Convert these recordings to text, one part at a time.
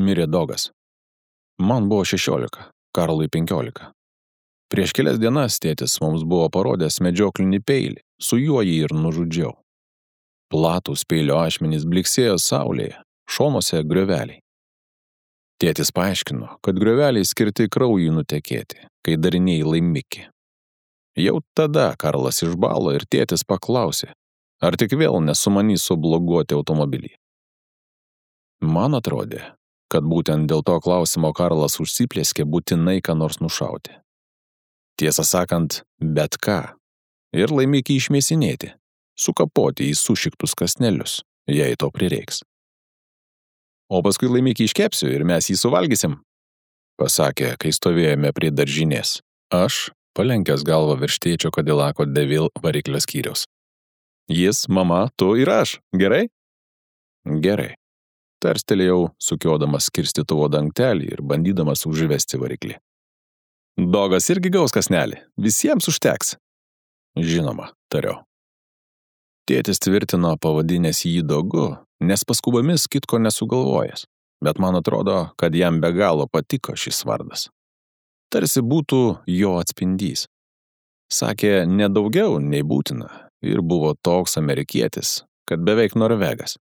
Mirė Dogas. Man buvo 16, Karlui 15. Prieš kelias dienas tėtis mums buvo parodęs medžioklinį peilį, su juo jį ir nužudžiau. Platūs peilio ašmenys bliksėjo saulėje, šonuose grioveliai. Tėtis paaiškino, kad grioveliai skirti kraujui nutekėti, kai darinėjai laimikį. Jau tada Karlas išbalo ir tėtis paklausė, ar tik vėl nesumanys subloguoti automobilį. Man atrodė, kad būtent dėl to klausimo Karlas užsiplėskė būtinai ką nors nušauti. Tiesą sakant, bet ką. Ir laimikį išmėsinėti, sukapoti į sušiktus kąsnelius, jei to prireiks. O paskui laimikį iškepsiu ir mes jį suvalgysim, pasakė, kai stovėjome prie daržinės. Aš, palenkęs galvą virš tėčio Kadilako DeVille variklio skyriaus. Jis, mama, tu ir aš, gerai? Gerai. Tarstelėjau, sukiodamas skirstytuvo dangtelį ir bandydamas užvesti variklį. Dogas irgi gaus kąsnelį, visiems užteks. Žinoma, tariau. Tėtis tvirtino pavadinęs jį Dogu, nes paskubomis kitko nesugalvojęs, bet man atrodo, kad jam be galo patiko šis vardas. Tarsi būtų jo atspindys. Sakė, ne daugiau nei būtina, ir buvo toks amerikietis, kad beveik norvegas.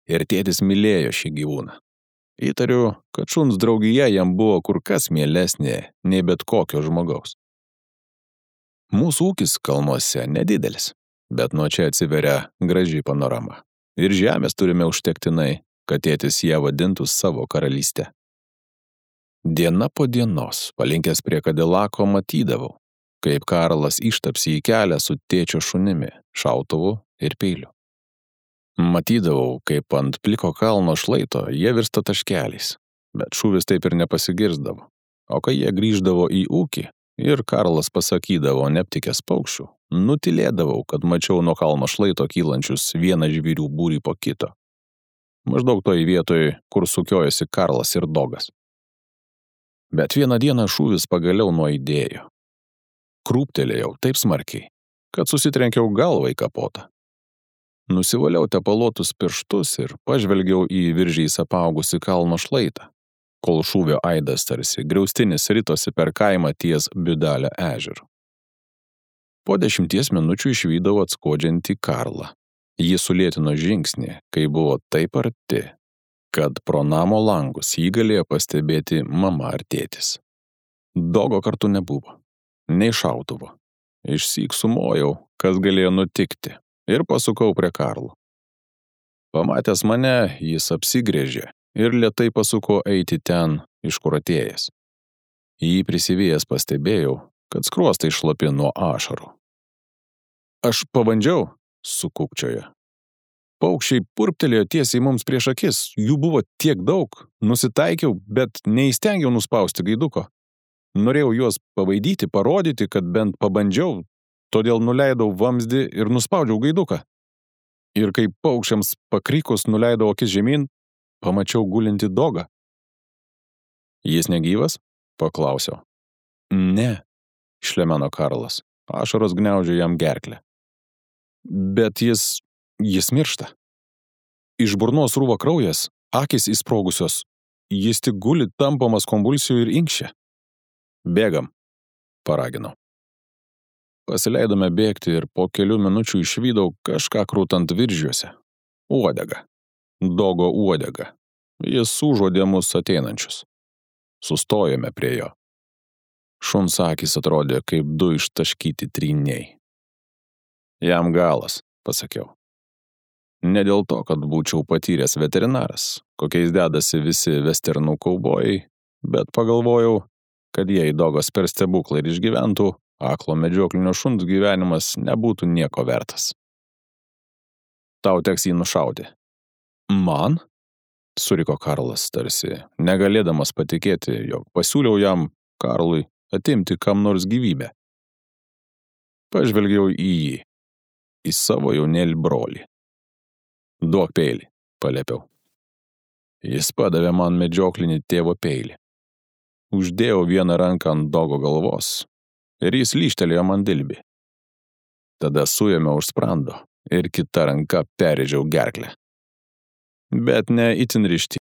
Ir tėtis mylėjo šį gyvūną. Įtariu, kad šuns draugija jam buvo kur kas mielesnė nei bet kokio žmogaus. Mūsų ūkis kalnuose nedidelis, bet nuo čia atsiveria graži panorama. Ir žemės turime užtektinai, kad tėtis ją vadintų savo karalystę. Diena po dienos, palinkęs prie Kadilako, matydavau, kaip Karlas ištapsi į kelią su tėčio šunimi, šautuvu ir peiliu. Matydavau, kaip ant pliko kalno šlaito jie virsta taškeliais, bet šūvis taip ir nepasigirsdavo. O kai jie grįždavo į ūkį ir Karlas pasakydavo neaptikęs paukščių, nutilėdavau, kad mačiau nuo kalno šlaito kylančius vieną žvėrių būrį po kito. Maždaug toj vietoj, kur sukiojasi Karlas ir Dogas. Bet vieną dieną šūvis pagaliau nuaidėjo. Krūptelėjau taip smarkiai, kad susitrenkiau galvą į kapotą. Nusivaliau tepaluotus pirštus ir pažvelgiau į viržiais apaugusi kalno šlaitą, kol šūvio aidas tarsi griaustinis ritosi per kaimą ties Biudalio ežeru. Po 10 minučių išvydau atskodžiantį Karlą. Jis sulėtino žingsnį, kai buvo taip arti, kad pro namo langus jį galėjo pastebėti mama ar tėtis. Dogo kartu nebuvo, nei šautuvo. Išsyk sumojau, kas galėjo nutikti, ir pasukau prie Karlo. Pamatęs mane, jis apsigrėžė ir lėtai pasuko eiti ten, iš kur atėjęs. Jį prisivėjęs pastebėjau, kad skruostai šlapi nuo ašarų. Aš pabandžiau, sukūkčiojo. Paukščiai purptelėjo tiesiai mums prieš akis, jų buvo tiek daug, nusitaikiau, bet neįstengiau nuspausti gaiduko. Norėjau juos pavaidyti, parodyti, kad bent pabandžiau, todėl nuleidau vamzdį ir nuspaudžiau gaiduką. Ir kai paukščiams pakrikus nuleidau akis žemyn, pamačiau gulintį Dogą. Jis negyvas? Paklausiau. Ne, šlemeno Karlas. Ašaros gniaužė jam gerklę. Bet jis miršta. Iš burnos rūva kraujas, akys įsprogusios. Jis tik guli tampamas konvulsijų ir inkščia. Bėgam, paraginau. Pasileidome bėgti ir po kelių minučių išvydau kažką krūtant viržiuose. Uodega. Dogo uodega. Jis užuodė mus ateinančius. Sustojome prie jo. Šuns akys atrodė kaip 2 ištaškyti tryniai. Jam galas, pasakiau. Ne dėl to, kad būčiau patyręs veterinaras, kokiais dedasi visi westernų kaubojai, bet pagalvojau, kad jei Dogas per stebuklą ir išgyventų, aklo medžioklinio šuns gyvenimas nebūtų nieko vertas. Tau teks jį nušauti. Man? Suriko Karlas tarsi, negalėdamas patikėti, jog pasiūliau jam, Karlui, atimti kam nors gyvybę. Pažvelgiau į jį, į savo jaunėlį brolį. Duok peilį, paliepiau. Jis padavė man medžioklinį tėvo peilį. Uždėjau vieną ranką ant Dogo galvos ir jis lyžtelėjo man dilbį. Tada suėmiau už sprando ir kita ranka perrėžiau gerklę. Bet ne itin ryžtingai.